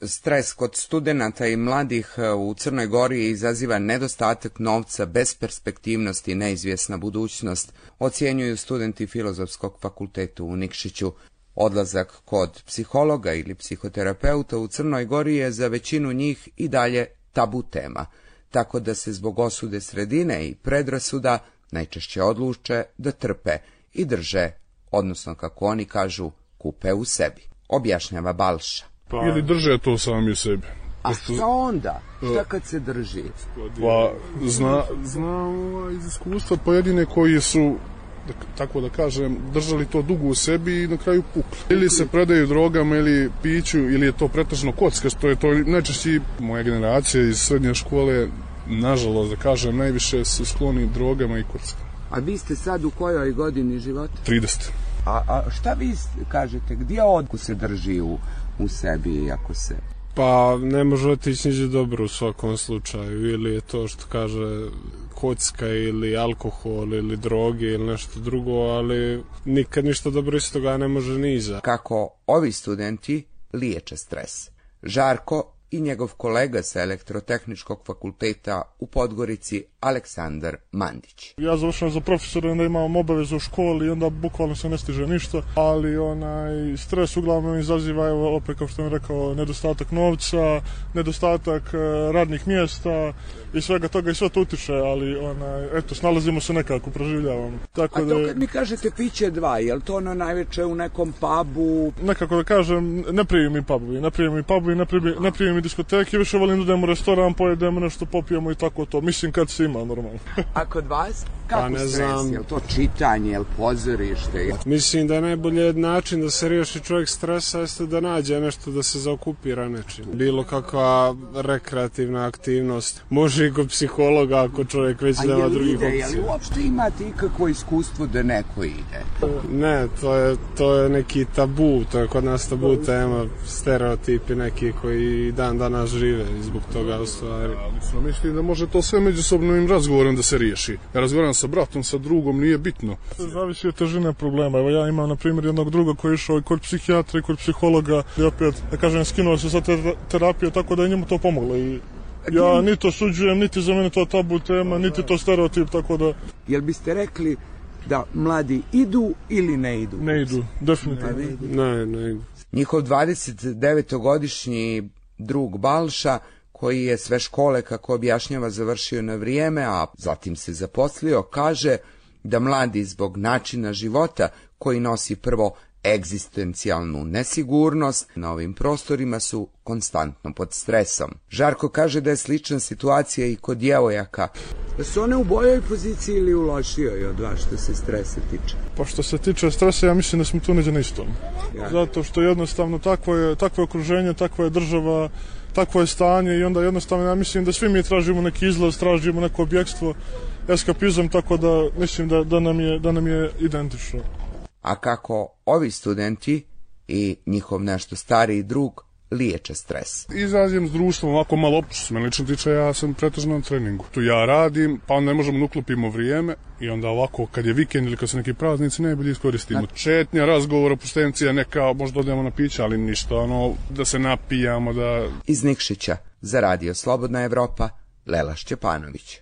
Stres kod studenata i mladih u Crnoj Gori izaziva nedostatak novca, besperspektivnost i neizvjesna budućnost, ocjenjuju studenti Filozofskog fakulteta u Nikšiću. Odlazak kod psihologa ili psihoterapeuta u Crnoj Gori je za većinu njih i dalje tabu tema, tako da se zbog osude sredine i predrasuda najčešće odluče da trpe i drže, odnosno kako oni kažu, kupe u sebi, objašnjava Balša. Ili drže to sami u sebi. A šta onda? Šta kad se drži? Pa, znam iz iskustva pojedine koji su, tako da kažem, držali to dugo u sebi i na kraju pukli. Ili se predaju drogama ili piću, ili je to pretežno kocka, što je to najčešće moja generacija iz srednje škole, nažalost, da kažem, najviše su skloni drogama i kockama. A vi ste sad u kojoj godini života? 30. A šta vi kažete, gdje odku se drži u sebi, ako se... Pa ne može otići niđe dobro u svakom slučaju, ili je to što kaže kocka ili alkohol ili droge ili nešto drugo, ali nikad ništa dobro iz toga ne može ni iza. Kako ovi studenti liječe stres. Žarko i njegov kolega sa Elektrotehničkog fakulteta u Podgorici, Aleksandar Mandić. Ja završam za profesora, onda imam obavezu u školi i onda bukvalno se ne stiže ništa, ali stres uglavnom izaziva, evo opet kao što sam rekao, nedostatak novca, nedostatak radnih mjesta i svega toga i sve to utiče, ali eto, snalazimo se nekako, proživljavamo. Tako to kad mi kažete piće dva, je li to najveće u nekom pubu? Nekako da kažem, ne prije mi pubovi, ne prije mi diskoteke, više volim da idemo u restoran, pojedemo nešto, popijemo i tako to. Mislim kad se ima, normalno. A kod vas? Kako stres? Je li to čitanje, je li pozorište? Mislim da je najbolji način da se riješi čovjek stresa jeste da nađe nešto da se zaokupira nečim. Bilo kakva rekreativna aktivnost. Može i kod psihologa ako čovjek već nema drugih opcija. Je li uopšte imate ikakvo iskustvo da neko ide? Ne, to je neki tabu, to je kod nas tabu tema, stereotipi neki koji dan danas žive i zbog toga u stvari. Mislim da može to sve međusobnim razgovorom da se riješi. Ja razgovaram sa bratom, sa drugom, nije bitno. Zavisi od težine problema. Evo ja imam na primjer jednog druga koji je išao i kod psihijatra i kod psihologa i opet, da kažem, skinuo se sa terapije, tako da je njemu to pomoglo i ja niti to suđujem, niti za mene to tabu tema, niti to stereotip, tako da... Jel biste rekli da mladi idu ili ne idu? Ne idu, definitivno. Ne idu. Njihov 29-godišnji drug Balša, koji je sve škole, kako objašnjava, završio na vrijeme, a zatim se zaposlio, kaže da mladi zbog načina života koji nosi prvo egzistencijalnu nesigurnost na ovim prostorima su konstantno pod stresom. Žarko kaže da je slična situacija i kod djevojaka. Da su one u boljoj poziciji ili u lošijoj od vas što se stresa tiče? Pa što se tiče stresa, ja mislim da smo tu neđe na istom. Zato što jednostavno takvo je okruženje, takva je država, takvo je stanje i onda jednostavno ja mislim da svi mi tražimo neki izlaz, tražimo neko objekstvo, eskapizam, tako da mislim da nam je identično. A kako ovi studenti i njihov nešto stariji drug liječe stres? Izađem s društvom, ovako malo opću se mene lično tiče, ja sam pretežno na treningu. Tu ja radim, pa ne možemo da uklopimo vrijeme i onda ovako kad je vikend ili kad su neki praznici najbolje iskoristimo. Četnja, razgovor, opustencija, neka, možda odemo na piće, ali ništa, da se napijamo, da... Iz Nikšića za Radio Slobodna Evropa, Lela Šćepanović.